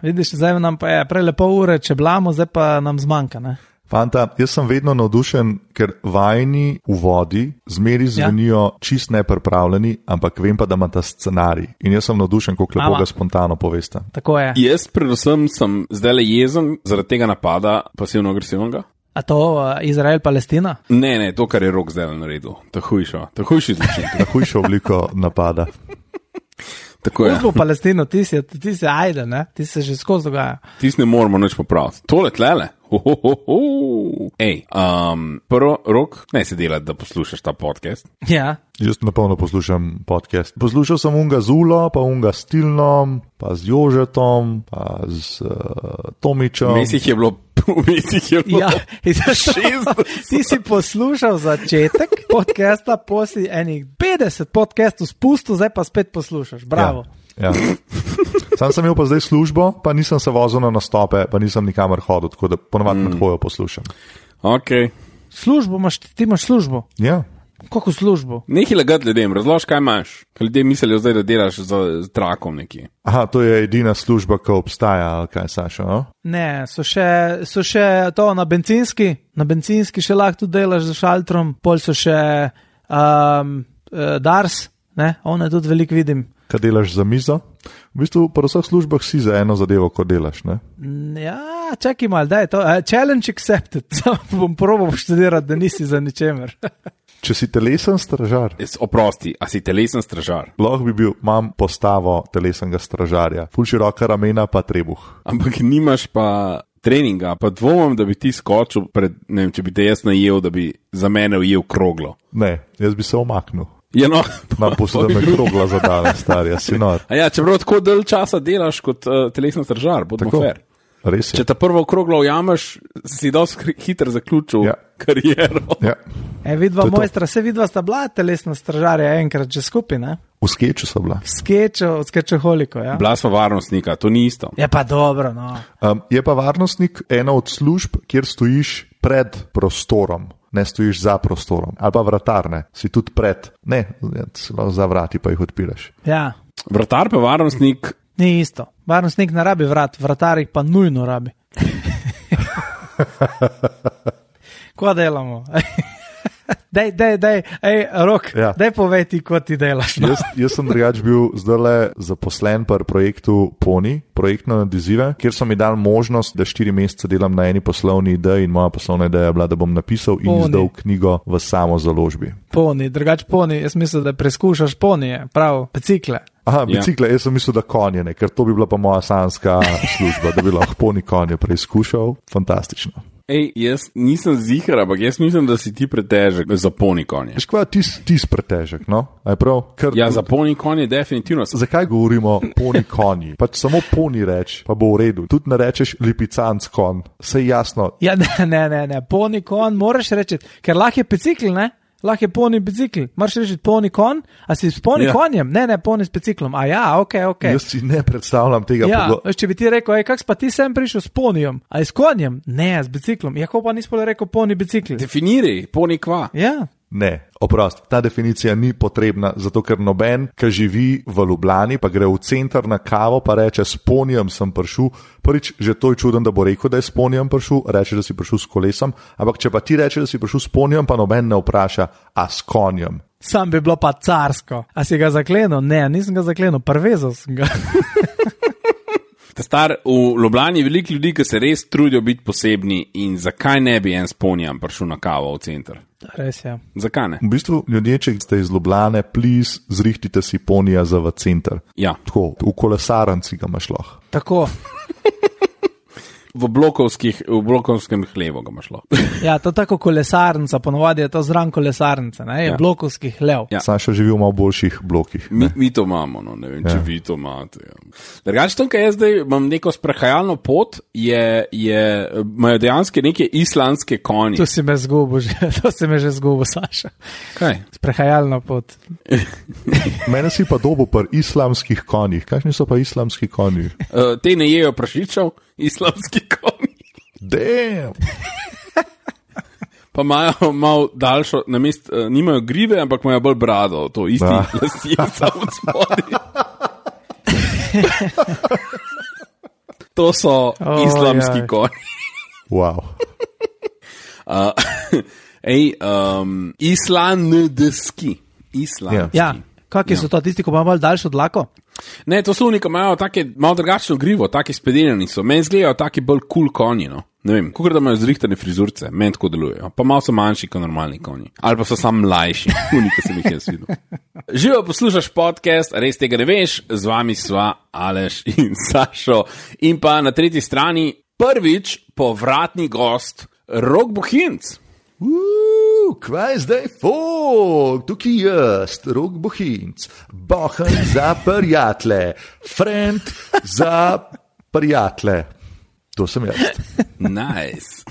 Vidiš, zdaj nam pa je prej lepo ure, če blamo, zdaj pa nam zmanjka, ne? Fanta, jaz sem vedno navdušen, ker vajni uvodi zmeri zvenijo čist nepripravljeni, ampak vem pa, da ima ta scenarij. In jaz sem navdušen, koliko lepo ga spontano povesta. Tako je. Jaz predvsem sem zdaj jezen zaradi tega napada pasivno-agresivnega. A to Izrael-Palestina? Ne, to, kar je Rok zdaj naredil. To hujši zločin. Ta hujša obliko napada. Uzbo Palestino, ti si ajde, ne? Ti se že skozi dogaja. Ti ne moramo nič popraviti. Tole tlele. Ej, prvo, Rok, ne se delati, da poslušaš ta podcast. Ja. Jaz napolno poslušam podcast. Poslušal sem unga z Ulo, pa unga s Tilnom, pa z Jožetom, pa z Tomičem. Mesih je bilo ja, ti si poslušal začetek podcasta, posli enih 50 podcastov spustil, zdaj pa spet poslušaš. Bravo. Ja. Sam sem imel pa zdaj službo, pa nisem se vozil na nastope, pa nisem nikamor hodil, tako da ponovadi med hojo poslušam. Ok. Službo imaš, ti imaš službo? Ja. Kako službo? Nekaj lagati ljudem, razloži, kaj imaš. Kaj ljudje mislijo zdaj, da delaš z trakom nekje. Aha, to je edina služba, ki obstaja, ali kaj, Saša, no? Ne, so še to na bencinski še lahko tudi delaš za šaltrom, pol so še Dars, ne, one tudi veliko vidim. Kaj delaš za mizo? V bistvu pa v vseh službah si za eno zadevo, ko delaš, ne? Ja, čakaj malo, daj to. Challenge accepted. Bom probal študirati, da nisi za ničemer. Če si telesen stražar. Oprosti, a si telesen stražar? Lahko bi bil, imam postavo telesenega stražarja. Ful široka ramena pa trebuh. Ampak nimaš pa treninga, pa dvomim, da bi ti skočil pred, ne vem, če bi te jaz najel, da bi za mene ujel kroglo. Ne, jaz bi se omaknil. Ja, no. Nam poslušaj me krogla zadane, starja, si nor. A ja, čeprav tako del časa delaš kot telesen stražar, bodimo fair. Res je. Če ta prvo kroglo ujameš, si dosti hitro zaključil kariero. Ja. Vidva mojstra, se vidva sta bila telesna stražarja enkrat že skupaj, ne? V skeču so bila. V skečoholiko, ja. Bila sva varnostnika, to ni isto. Je pa dobro, no. Je pa varnostnik ena od služb, kjer stojiš pred prostorom. Ne stojiš za prostorom. Ali pa vratar, ne. Si tudi pred. Ne, za vrati pa jih odpiraš. Ja. Vratar pa varnostnik. Ni isto. Varnostnik ne rabi vrat, vratar jih pa nujno rabi. Ko delamo? Dej, Rok, ja. Daj povej ti, ko ti delaš. No? Jaz sem drugač bil zdajle zaposlen pri projektu Poni, projektno nadizive, kjer so mi dali možnost, da 4 mesece delam na eni poslovni ideji in moja poslovna ideja je bila, da bom napisal in izdal knjigo v samo založbi. Poni, drugač Poni, jaz mislim, da preskušaš ponije, prav, bicikle. Aha, bicikle, jaz sem mislil, da konje, ne, ker to bi bila pa moja sanska služba, da bi lahko Poni konje preizkušal. Fantastično. Ej, jaz nisem zihar, ampak jaz mislim, da si ti pretežek za Poni konje. Veš kva, ti si pretežek, no? Aj prav? Ja, za Poni konje definitivno. Zakaj govorimo Poni konji? Pač samo Poni reč, pa bo v redu. Tudi ne rečeš lipicanc kon, sej jasno. Ja, ne, Poni kon moraš reči, ker lahko je bicikl, ne? Lahko je poni bicikl. Moraš reči poni kon, a si s poni konjem? Ne, poni s biciklom. A ja, ok. Jaz si ne predstavljam tega. Ja, če bi ti rekel, kak pa ti sem prišel s ponijem? A s konjem? Ne, s biciklom. Jako pa nisi rekel poni bicikl? Definiraj, poni kva. Ja. Ne, oprost, ta definicija ni potrebna, zato ker noben, ki živi v Ljubljani, pa gre v center na kavo, pa reče, s ponijem sem prišel. Prvič, že to je čuden, da bo rekel, da je s ponijem prišel, reče, da si prišel s kolesom, ampak če pa ti reče, da si prišel s ponijem, pa noben ne vpraša, a s konjem. Sam bi bilo pa carsko. A si ga zaklenil? Ne, nisem ga zaklenil, prvezal sem ga. Star, v Ljubljani je veliko ljudi, ki se res trudijo biti posebni in zakaj ne bi en s ponijem prišel na kavo v center? Res je. Zakaj ne? V bistvu, ljudje, če ste iz Ljubljane, please, zrihtite si ponija za v center. Ja. Tako, v kolesarnici ga imaš lahko. Tako. V blokovskem hlevu ga imaš lahko. Ja, to tako kolesarnica, ponovadi je to zran kolesarnica, ne? Je blokovski hlev. Ja. Saša živi v malo boljših blokih. Mi to imamo, no, ne vem, če vi to imate. Ja. Drugače, to, kaj jaz zdaj imam neko sprehajalno pot, imajo dejansko neke islandske konje. To si me že zgubil, Saša. Kaj? Sprehajalno pot. Mene si pa dobil pri islamskih konjih. Kakšni so pa islamski konji? Te ne jejo prašičev. Islamski konji. Damn. Pa imajo malo daljšo, nimajo grive, ampak imajo bolj brado, to isti lasje samo od spodaj. To so islamski konji. Wow. Islandski. Ja, kakšni so to, tisti, ko imajo malo daljšo dlako? Ne, to so oni, ki imajo malo drugačno grivo, taki spedenjeni so. Meni zgledajo taki bolj cool konji, no. Ne vem, kako da imajo zrihtane frizurce, meni tako delujejo. Pa malo so manjši kot normalni konji. Ali pa so samo mlajši, oni, ki sem jih jaz videl. Živo poslušaš podcast, res tega ne veš, z vami sva Aleš in Sašo. In pa na tretji strani prvič povratni gost Rok Bohinc. Kaj zdaj, folk, tukaj jaz, Rok Bohinc, bohen za prijatelje, friend za prijatelje. To sem jaz. Nice.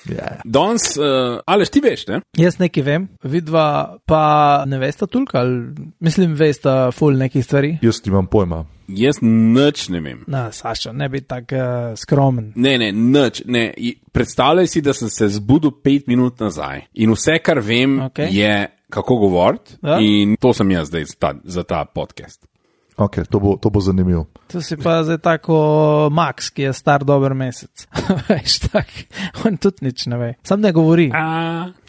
Yeah. Danes, Aleš, ti veš, ne? Jaz nekaj vem, vidva pa ne vesta toliko, ali mislim, vesta ful nekih stvari. Jaz imam pojma. Jaz nič ne vem. Na, Sašo, ne bi tak skromen. Ne, nič, ne. Predstavljaj si, da sem se zbudil 5 minut nazaj in vse, kar vem, je kako govoriti in to sem jaz zdaj za ta podcast. Ok, to bo zanimivo. To si pa zdaj tako Max, ki je star dober mesec. Veš, tak, on tudi nič ne ve. Sam ne govori.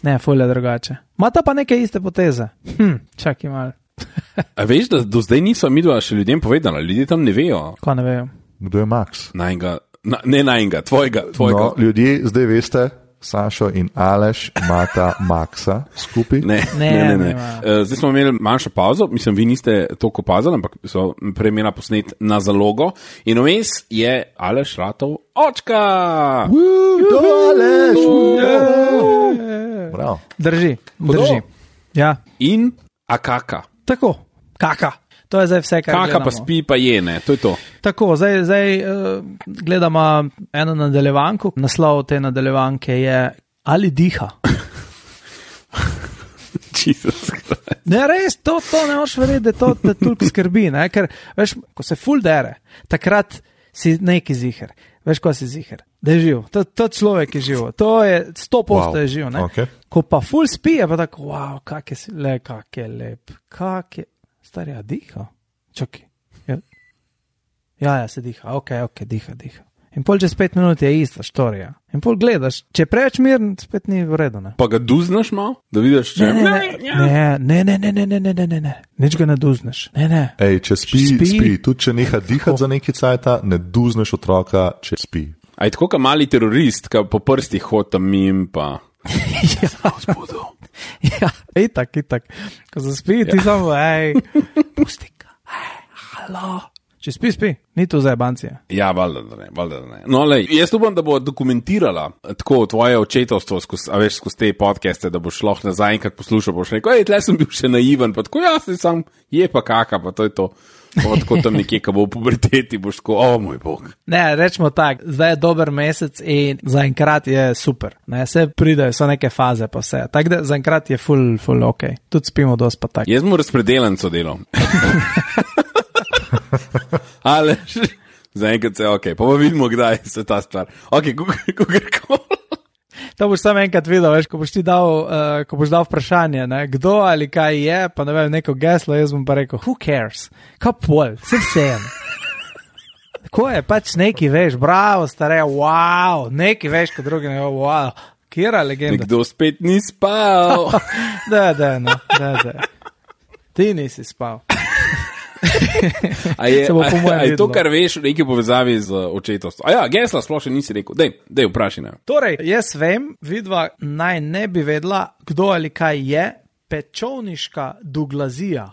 Ne, ful je drugače. Mata pa neke iste poteze. Čakaj malo. A veš, da do zdaj niso midva še ljudem povedala, ljudje tam ne vejo. Ko ne vejo? Kdo je Max? Najnega, tvojega. No, ljudje zdaj veste, Sašo in Aleš imata Maxa skupaj. Ne. Zdaj smo imeli manjšo pauzo, mislim, vi niste toliko opazili, ampak so prej imela posnet na zalogo in vmes je Aleš ratov očka. To Aleš! Bravo. Drži. Ja. In kaka. Tako, kaka. To je zdaj vse, kar gledamo. Kaka pa spi, pa je, ne, to je to. Tako, zdaj gledamo eno nadaljevanko. Naslov te nadaljevanke je Ali diha? Ne, res, to ne moš verjeti, da to te toliko skrbi, ne, ker, veš, ko se ful dere, takrat si neki ziher. Veš, ko si ziher, da je živ. To človek je živ. To je 100% je živ, ne. Okay. Ko pa ful spi, je pa tako, wow, kak je lep, starja, diha. Čakaj. Ja, se diha. Ok, diha. In pol čez 5 minut je ista štorija. In pol gledaš, če preveč miren, spet ni v redu, ne. Pa ga duznaš malo, da vidiš, če... Ne. Nič ga ne duznaš. Ne. Ej, če spi. Tudi če neha dihati za neki cajta, ne duznaš otroka, če spi. A je tako, ka mali terorist, ka po prstih hod tam mim, pa... Ja, itak. Ko se spi, ti samo, pusti ga, halo. Če spi, ni to za jebancije. Ja, valjda da ne. No, lej, jaz upam, da bo dokumentirala tako tvoje očetovstvo skozi te podcaste, da boš šlo nazaj enkrat poslušal, boš rekel, tle sem bil še naiven, pa tako, sam je pa kaka, pa to je to. Tako tam nekje, ko bo v puberteti, boš tako, moj bog. Ne, rečemo tak, zdaj je dober mesec in zaenkrat je super. Ne, se pridajo, so neke faze pa vse. Tako da zaenkrat je full ok. Tudi spimo dosti pa tak. Jaz mu razpredelenco delam. Ale, zaenkrat se, ok, pa vidimo, kdaj se ta stvar. Ok, kako. To boš samo enkrat videl, veš, ko boš dal vprašanje, ne, kdo ali kaj je, pa ne vem, neko geslo, jaz bom pa rekel, who cares? Kaj pol, vsem. Tako je, pač neki veš, bravo, stare, wow, neki veš, kot drugi ne, wow, kjera legenda. Nekdo spet ni spal. Da. Ti nisi spal. A je to, kar veš v neki povezavi z očetovstvom? A ja, gesla sploh še nisi rekel. Dej, vprašaj ne. Torej, jaz vem, vidva naj ne bi vedela, kdo ali kaj je pečovniška duglazija.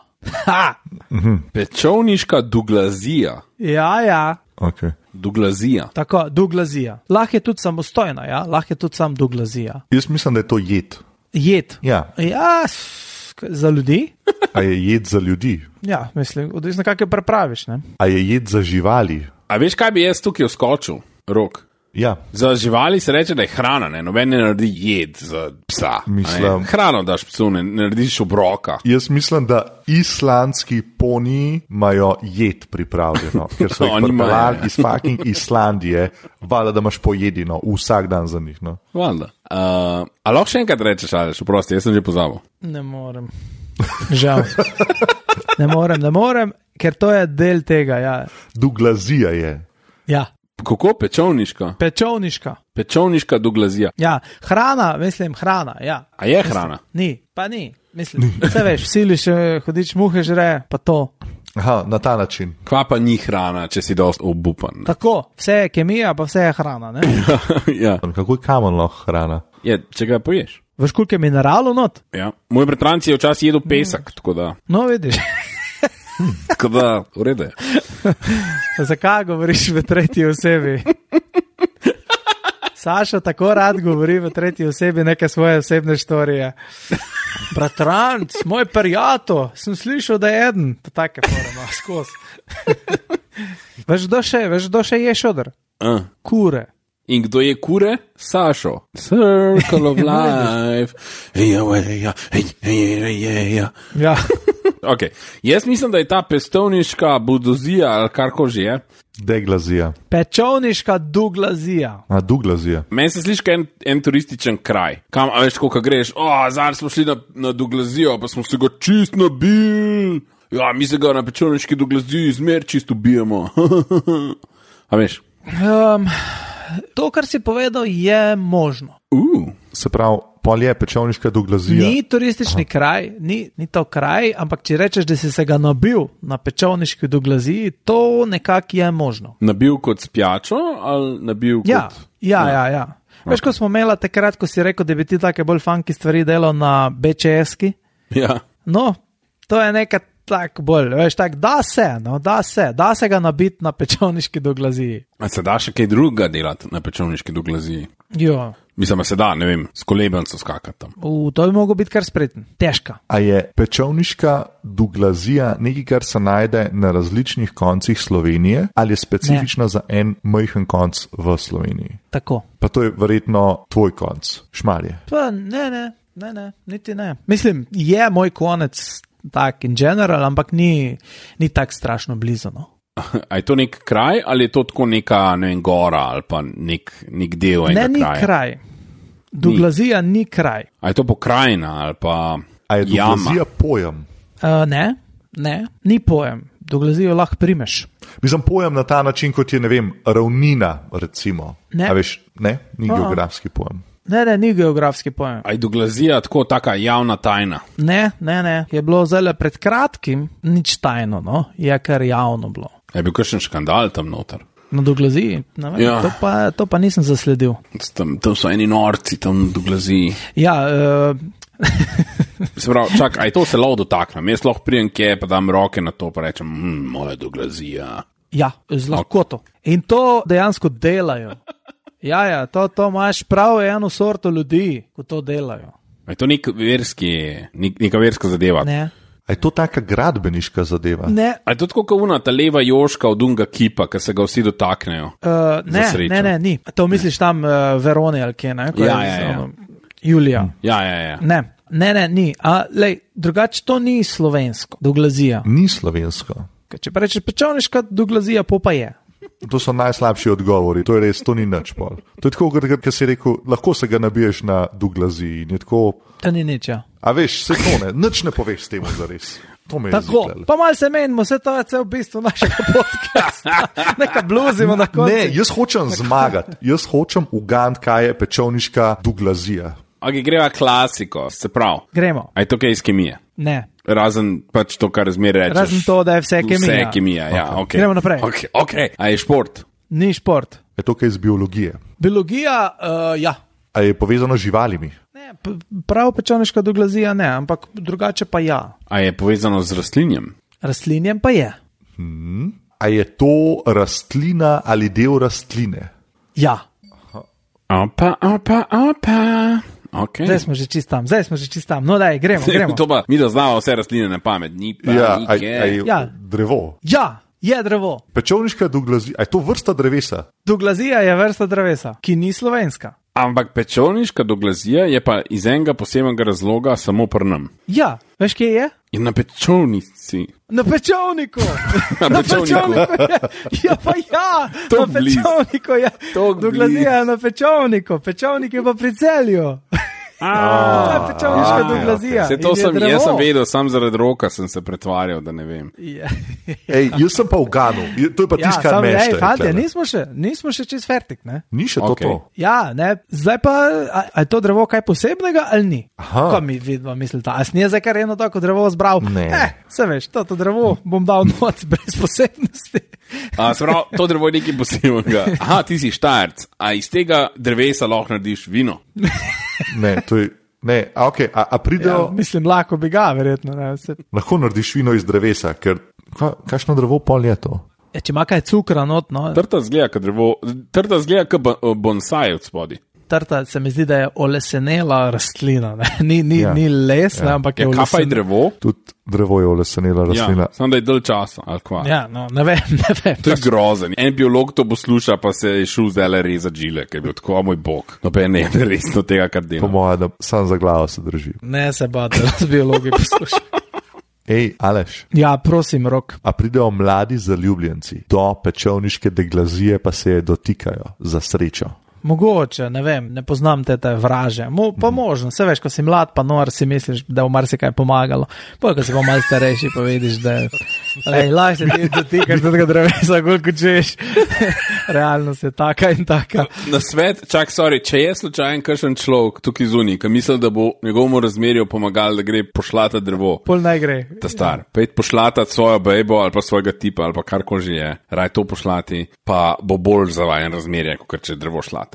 Pečovniška duglazija? Ja. Okay. Duglazija. Tako, duglazija. Lahko je tudi samostojna, ja? Lahko je tudi sam duglazija. Jaz mislim, da je to jed. Jed? Ja. Ja, za ljudi? A je jed za ljudi? Ja, mislim, odvisno kako jo prepraviš, ne? A je jed za živali? A veš, kaj bi jaz tukaj vskočil, Rok? Ja. Za živali se reče, da je hrana, ne? Noben ne naredi jed za psa. Mislim, hrano daš psu, ne narediš obroka. Jaz mislim, da islandski poniji imajo jed pripravljeno, ker so jih pripeljali iz fucking Islandije, valjda, da imaš pojedino vsak dan za njih. No? Valjda. A lahko še enkrat rečeš, Aleš, oprosti, jaz sem že pozabil. Ne morem. Žal. Ne morem, ker to je del tega, ja. Duglazija je. Ja, Kako pečovniška? Pečovniška doglazija. ja, hrana, ja. A je hrana? Ni, pa ni, mislim, vse veš, siliš, hodiš muhe žre, pa to. Aha, na ta način. Kva pa ni hrana, če si dost obupan? Tako, vse je kemija, pa vse je hrana, ne? Ja. Kako je kamen lahko hrana? Je, če ga poješ. Veš, koliko je mineralov not? Ja. Moj bratranci je včasih jedel pesek, tako da, Vidiš. v redu je. Zakaj govoriš v tretji osebi? Saša tako rad govori v tretji osebi neke svoje osebne štorije. Bratranc, moj prijatelj, sem slišal, da je eden. To take forma, skozi. Veš, kdo še je šodr? Kure. In kdo je kure? Sašo. Circle of life. Ja. Okay. Jaz mislim, da je ta pestovniška budozija ali karko že je. Deglazija. Pečovniška duglazija. A, duglazija. Meni se sliši en turističen kraj. Kam, a veš, koliko greš? Zdaj smo šli na duglazijo, pa smo se ga čist nabili. Ja, mi se ga na pečovniški duglaziji zmer čist ubijamo. A veš? To, kar si povedal, je možno. Se pravi, pol je pečovniška duglazija. Ni turistični kraj, ni to kraj, ampak če rečeš, da si se ga nabil na pečovniški duglaziji, to nekako je možno. Nabil kot spjačo ali nabil kot... Ja. Veš, ko smo imeli takrat, ko si rekel, da bi ti take bolj funky stvari delal na BČS-ki? Ja. No, to je nekaj tak bolj, veš, tak, da se ga nabiti na pečovniški duglaziji. A se da še kaj drugega delati na pečovniški duglaziji? Jo. Mislim, se da, ne vem, s kolebenco skakati tam. To bi mogel biti kar spreten, težka. A je pečovniška duglazija nekaj, kar se najde na različnih koncih Slovenije, ali je specifična za en majhen konc v Sloveniji? Tako. Pa to je verjetno tvoj konc, Šmarje. Pa ne, niti ne. Mislim, je moj konec tak in general, ampak ni tak strašno blizu, no. A je to nek kraj ali je to tako neka, ne vem, gora ali pa nek del enega kraja? Ne, ni kraj. Duglazija ni kraj. A je to pokrajina ali pa A je duglazija pojem? Ne, ni pojem. Duglazijo lahko primeš. Mislim, pojem na ta način, kot je, ne vem, ravnina, recimo. Ne. A veš, ne? Ni geografski pojem. Ne, ni geografski pojem. A je duglazija tako taka javna tajna? Ne. Je bilo zelo pred kratkim nič tajno, no. Je kar javno bilo. Je bil kakšen škandal tam noter? Na duglaziji? Ne vem, Ja. to pa nisem zasledil. Tam so eni norci, tam na duglaziji. Ja, Se pravi, čak, a je to se lahko dotaknem? Jaz lahko prijem kje, pa dam roke na to, pa rečem, moja duglazija. ja, z lahkoto. In to dejansko delajo. Ja, to imaš prav eno sorto ljudi, ko to delajo. A je to neka verska zadeva? Ne. A je to taka gradbeniška zadeva? Ne. A je to tako kot ta leva joška od unga kipa, ki se ga vsi dotaknejo? Ne, ni. To misliš tam Veroni ali kje, ne? Ja. Julija. Ja. Ne, ni. Drugače to ni slovensko, duglazija. Ni slovensko. Če pa rečeš pečovniška duglazija, pa je. To so najslabši odgovori, to je res, to ni nič pol. To je tako, ker si rekel, lahko se ga nabiješ na duglaziji in je tako... To ni nič, ja. A veš, se to ne, nič ne poveš s temu zares. To me je Tako, ziklelo. pa malo se menimo, vse to je cel bistvo našega podcasta. Neka bluzimo na koncu. Ne, jaz hočem zmagati, jaz hočem ugant, kaj je pečovniška duglazija. Ok, greva klasiko, se prav. Gremo. A je to kaj iz kemije? Ne. Razen pač to, kar zmeraj rečeš. Razen to, da je vse kemija. Vse kemija, ja, ok. Gremo naprej. Ok, a je šport? Ni šport. Je to kaj iz biologije? Biologija, ja. A je povezano z živalimi? Ne, prav pečovniška duglazija ne, ampak drugače pa ja. A je povezano z rastlinjem? Rastlinjem pa je. A je to rastlina ali del rastline? Ja. Opa. Okay. Zdaj smo že čist tam. No daj, gremo. To pa, mi da znamo vse rastline na pamet, ni pa A je Ja. drevo? Ja, je drevo. Pečovniška duglazija, a je to vrsta drevesa? Duglazija je vrsta drevesa, ki ni slovenska. Ampak pečovniška duglazija je pa iz enega posebnega razloga samo prnem. Ja, veš kje je? In na pečovnici. Na pečovniku. Na pečovniku. Ja, pa ja. To Na pečovniku je. To Duglazija je na pečovniku. Pečovnik je pa pri Celju. To je pečovniška doglazija. Jaz sem vedel, sam zaradi roka sem se pretvarjal, da ne vem. Ej, jaz sem pa v Ganu, to je pa tisto, kar me šteje. Fantje, nismo še čist fertik, ne? Ni še to. Ja, ne, zdaj pa, a je to drevo kaj posebnega ali ni? Ko mi vidva mislite, a snije zdaj kar eno tako drevo zbral? Ne. Se veš, to drevo bom dal noc brez posebnosti. Sprav, to drevo je nekaj posebnega. Aha, ti si Štajerc, a iz tega drevesa lahko narediš vino? Ne, to je... Ne, okay, a pridejo... Ja, mislim, lahko bi ga, verjetno. Ne, lahko narediš vino iz drevesa, ker kakšno drevo pol je to? Če ima kaj cukra not, no. Trta zgleda kot bonsai od spodi. Trta se mi zdi, da je olesenela rastlina. Ni les, ne, ampak je olesenela. Kaj pa je drevo? Tudi drevo je olesenela rastlina. Ja, samo da je dalj časa, ali kva. Ja, no, ne vem. To je grozen. En biolog to posluša, pa se je šel zdaj rezati žile, ker je bil tako, moj bog. No, pa je ne resno tega, kar dela. Po mojem, da sam za glavo se drži. Ne se bate, da z biologi posluša. Ej, Aleš. Ja, prosim, Rok. A pridejo mladi zaljubljenci, do pečovniške deglazije pa se je dotikajo za srečo. Mogoče, ne vem, ne poznam te vraže. Pa možno, se veš, ko si mlad, pa nor, si misliš, da bo marsikaj pomagalo. Pa, ko si pa malo starejši, pa vidiš, da lahko se ti dotikaš do tega drevesa, koliko češ. Realnost je taka in taka. Na svet, če je slučajen kakšen človek tukaj zunaj, ki misli, da bo njegovemu razmerju pomagalo, da gre pošlata drevo. Pol naj gre. Ta star. Pejt pošlata svojo bejbo ali pa svojega tipa ali pa karkoli že je. Raj to pošlati, pa bo bolj zavajen razmerje, kot če drevo šlataš.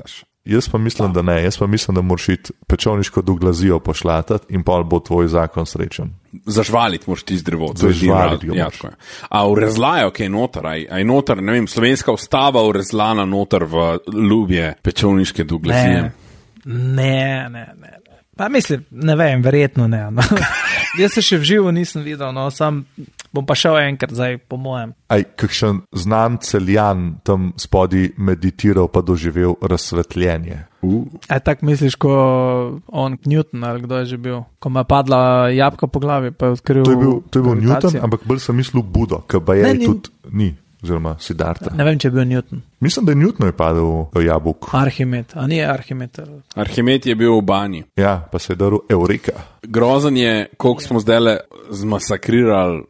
Jaz pa mislim, da ne. Jaz pa mislim, da moraš iti pečovniško doglazijo pošlatati in pa bo tvoj zakon srečen. Zažvaliti moraš ti z drevo. Zažvaliti ga moraš. A urezlajo kaj noter? A je noter, ne vem, slovenska ustava urezlana noter v ljubje pečovniške doglazije? Ne. Pa mislim, ne vem, verjetno ne. No. Jaz se še v živo nisem videl, no, sam bom pa šel enkrat zdaj, po mojem. Kakšen znan Celjan tam spodi meditiral pa doživel razsvetljenje. Tak misliš, ko on Newton ali kdo je že bil, ko mu je padla jabka po glavi, pa je odkril... To je bil Newton, ampak bolj sem mislil Budo, ki pa je tudi ni. Oziroma Siddharta. Ne vem, če je bil Newton. Mislim, da je Newton je padel v jabuk. Arhimed, a ni Arhimed? Arhimed je bil v banji. Ja, pa se je daril Eureka. Grozen je, koliko smo zdaj zmasakrirali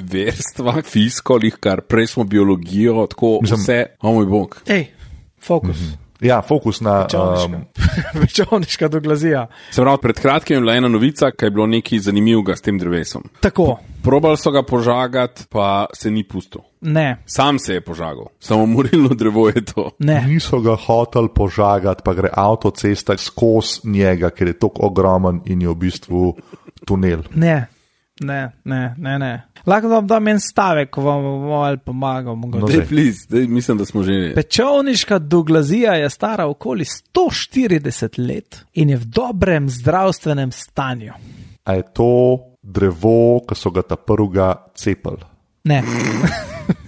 verstva, fiskolih, kar prej smo biologijo, tako vse, moj bog. Ej, fokus. Ja, fokus na... Pečovniška doglazija. Se pravi, pred kratkim je bila ena novica, kaj je bilo nekaj zanimivega s tem drevesom. Tako. Probali so ga požagati, pa se ni pustil. Ne. Sam se je požagal. Samo morilno drevo je to. Ne. Niso ga hoteli požagati, pa gre avtocesta skozi njega, ker je tako ogromen in je v bistvu tunel. Ne. Lahko vam dam en stavek, ko vam bomo pomagal. Mislim, da smo že... Pečovniška doglazija je stara okoli 140 let in je v dobrem zdravstvenem stanju. A je to drevo, ki so ga ta prvega cepili? Ne.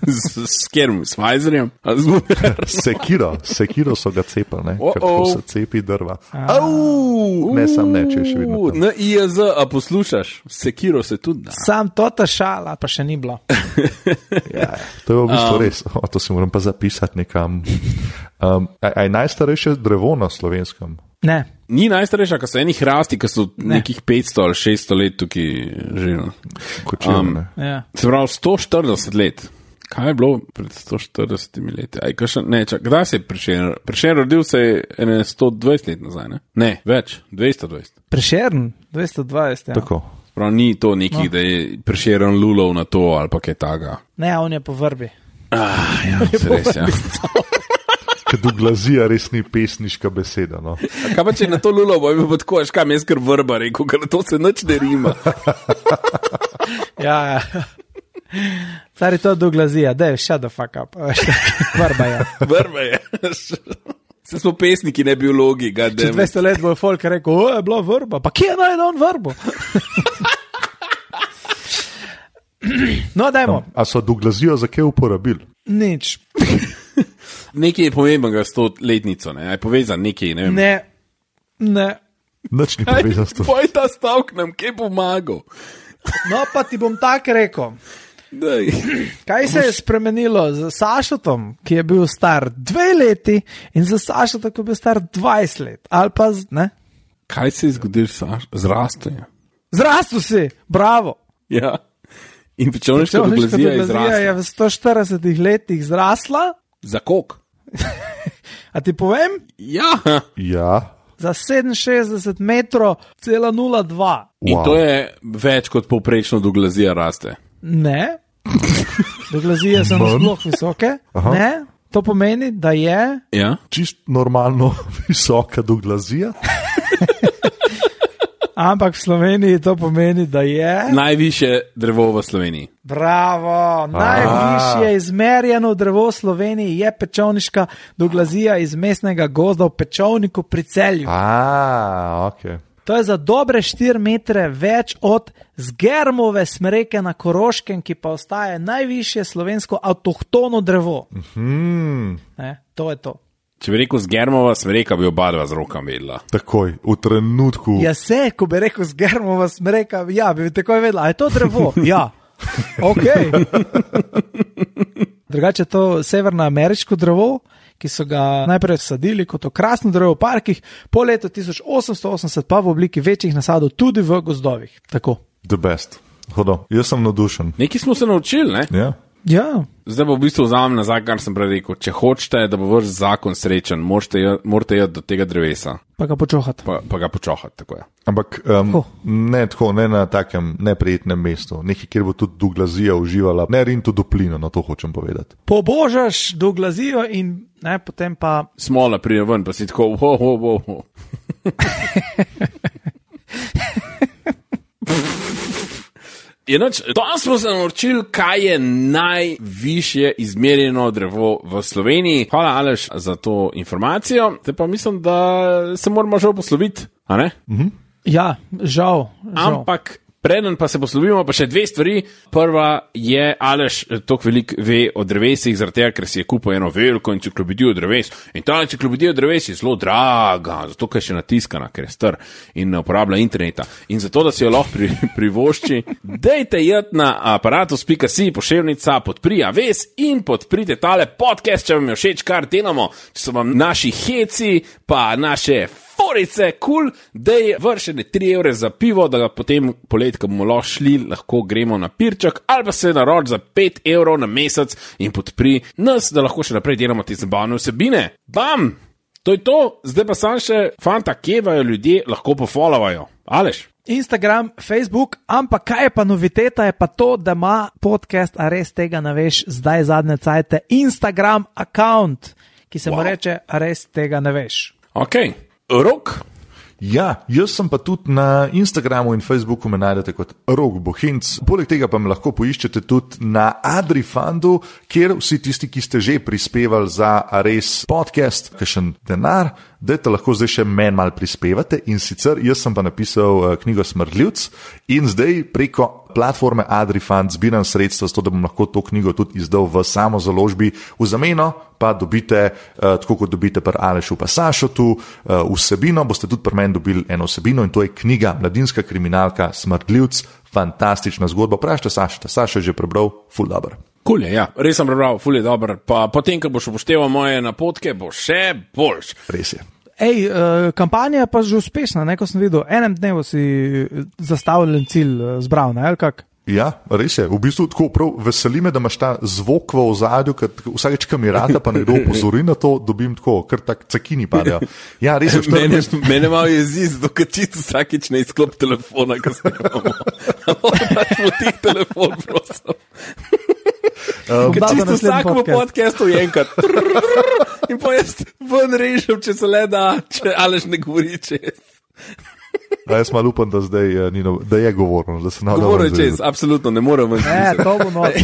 S kjerom? S Pfizerjem? Sekiro so ga cepili, ne? Ker tako se cepi drva. Ne, sam ne, če je še vedno tam. IAZ, a poslušaš? Sekiro se tudi da. Sam tota šala, pa še ni bilo. Ja, to je v bistvu res. To si moram pa zapisati nekam. A je najstarejše drevo na Slovenskem? Ne. Ni najstarejša, ko so eni hrasti, ki so nekih 500 ali 600 let tukaj živeli. Ja. Se pravi, 140 let. Kaj je bilo pred 140 leti? Kdaj se je Prešeren? Prešeren rodil se je 120 let nazaj, ne? Ne, več, 220. Prešeren? 220, ja. Tako. Prav ni to nekih, da je Prešeren lulov na to ali pa kaj taga. Ne, on je po vrbi. Ja, se res, ja. Ker doglazija res ni pesniška beseda, no. Kaj pa če na to lulo bo imel tako, až kam jaz kar vrba rekel, ker to se nič ne rima. Ja. Stari to doglazija, daj, shut the fuck up. Vrba je. Vrba je. Se smo pesniki, ne biologi. Čez 200 let bo folk rekel, je bila vrba, pa kje najde on vrbo? No, dajmo. A so doglazijo za kaj uporabili? Nič. Nekaj je pomembnega s to letnico, ne? Je povezan nekaj, ne vem. Ne. Nič ni povezan s to. Poj ta stavk nam, kaj pomagal? No, pa ti bom tak rekel. Daj. Kaj se je spremenilo z Sašotom, ki je bil star 2 leti in z Sašotom, ki je bil star 20 let? Ali pa, ne? Kaj se je zgodilo, Saš? Zrastel je. Zrastel si, bravo. Ja. In pečovniška doglazija je zrasla. Je v 140 letih zrasla. Za koliko? A ti povem? Ja. Ja. Za 67 metrov, cela 0,2. In to je več kot povprečno doglazija raste. Ne. Doglazije so nasploh visoke. Aha. Ne. To pomeni, da je Ja. Čist normalno visoka doglazija. Ampak v Sloveniji to pomeni, da je Najvišje drevo v Sloveniji. bravo, najvišje izmerjeno drevo v Sloveniji je pečovniška doglazija iz mestnega gozda v Pečovniku pri Celju. Ok. To je za dobre 4 metre več od zgermove smreke na Koroškem, ki pa ostaje najvišje slovensko avtohtono drevo. Ne, to je to. Če bi rekel zgermova smreka, bi oba dva z rokami vedela. Takoj, v trenutku. Ja, se, ko bi rekel zgermova smreka, ja, bi takoj vedela, a je to drevo? Ja, ok. Drugače je to severnoameriško drevo, ki so ga najprej sadili kot okrasno drevo v parkih, po letu 1880 pa v obliki večjih nasadov tudi v gozdovih. Tako. The best. Hodo, jaz sem navdušen. Nekaj smo se naučili, ne? Ja. Ja, Zdaj pa v bistvu vzamem nazaj, kar sem prej rekel. Če hočete, da bo vaš zakon srečen, morate iti do tega drevesa, pa ga počohati. pa ga počohati. Tako je. Ampak ne tako, ne na takem neprijetnem mestu, nekaj, kjer bo tudi doglazija uživala, ne rin to duplino, na to hočem povedati. Pobožaš doglazijo in ne, potem pa Smola pride ven, pa si tako, ho. Danes smo se naučili, kaj je najvišje izmerjeno drevo v Sloveniji. Hvala, Aleš, za to informacijo. Te pa mislim, da se moramo žal posloviti, a ne? ja, žal. Ampak preden pa se poslovimo, pa še dve stvari. Prva je, Aleš toliko veliko ve o drevesih, zaradi tega, ker si je kupil eno veliko enciklopedijo dreves. In ta enciklopedija dreves je zelo draga, zato ker je še natiskana, ker je star in ne uporablja interneta. In zato, da si jo lahko privošči, dejte jeti na aparatus.si, poševnica, podpri Aves in podprite tale podcast, če vam je všeč, kar delamo. Če so vam naši heci, pa naše forice, cool, dej vršene 3 evre za pivo, da ga potem poleti, ko bomo lahko gremo na pirček, ali pa se naroč za 5 evrov na mesec in podpri nas, da lahko še naprej delamo te zabavne vsebine. Bam! To je to, zdaj pa sam še fanta, kje vajo ljudje lahko pofollowajo. Aleš? Instagram, Facebook, ampak kaj je pa noviteta, je pa to, da ima podcast, a res tega ne veš, zdaj zadnje cajte, Instagram account, ki se mu reče, a res tega ne veš. Ok, Rok? Ja, jaz sem pa tudi na Instagramu in Facebooku me najdete kot Rok Bohinc. Poleg tega pa me lahko poiščete tudi na Adrifundu, kjer vsi tisti, ki ste že prispevali za Ares podcast, kakšen denar, dajte lahko zdaj še meni malo prispevate. In sicer jaz sem pa napisal knjigo Smrdljivc in zdaj preko platforme Adrifund zbiram sredstva, zato da bom lahko to knjigo tudi izdal v samozaložbi. V zameno pa dobite, tako kot dobite pri Alešu pa Sašotu, vsebino, boste tudi pri meni dobili eno vsebino in to je knjiga Mladinska kriminalka Smrdljivc, fantastična zgodba. Vprašajte Sašota, Saša je že prebral, ful dober. Cool je, ja, res sem prebral, ful je dober. Pa potem, ko boš upošteval moje napotke, bo še boljš. Res je. Ej, kampanja je pa že uspešna, ne, ko sem videl, enem dnevu si zastavljen cilj zbral, ne, ali kak? Ja, res je. V bistvu tako prav veseli me, da imaš ta zvok v ozadju, ker vsakeč, ko mi rata, pa nekdo opozori na to, dobim tako, ker tak cakini padejo. Ja, res je. Mene malo jezi, zato ker čisto vsakeč ne izklop telefona, ko snimamo. Pač motih telefon, prosim. Ker čisto vsakemu podcastu je enkrat. In pa jaz ven režem, če se le da, če Aleš ne govori čez. Jaz malo upam, da zdaj da je govorno, da se navadam. Govorno čez, absolutno, ne morem ven. To bo not.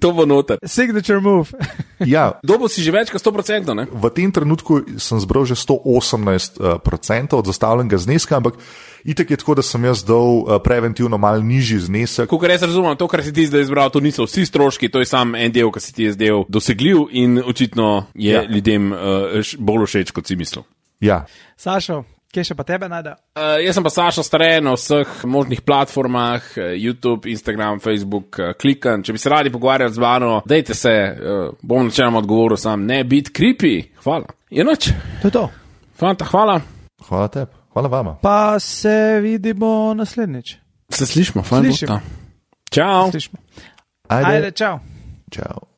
To bo noter. Signature move. Ja. Dobo si že več kot 100%, ne? V tem trenutku sem zbral že 118% od zastavljenega zneska, ampak itak je tako, da sem jaz dal preventivno mal nižji znesek. Kakor jaz razumem, to, kar si ti zdaj izbral, to niso vsi stroški, to je sam en del, ki si ti je zdaj dosegljiv in očitno je ljudem bolj všeč, kot si mislil. Ja. Sašo, kje še pa tebe najde? Jaz sem pa Sašo Stare na vseh možnih platformah, YouTube, Instagram, Facebook, klikam. Če bi se radi pogovarjali z mano, dejte se, bom načeloma odgovoril sam, ne biti creepy. Hvala. Je noč. To je to. Fanta, hvala. Hvala tebi. Hvala vama. Pa se vidimo naslednjič. Se slišimo, fajn. Čau. Ajde, čau. Čau.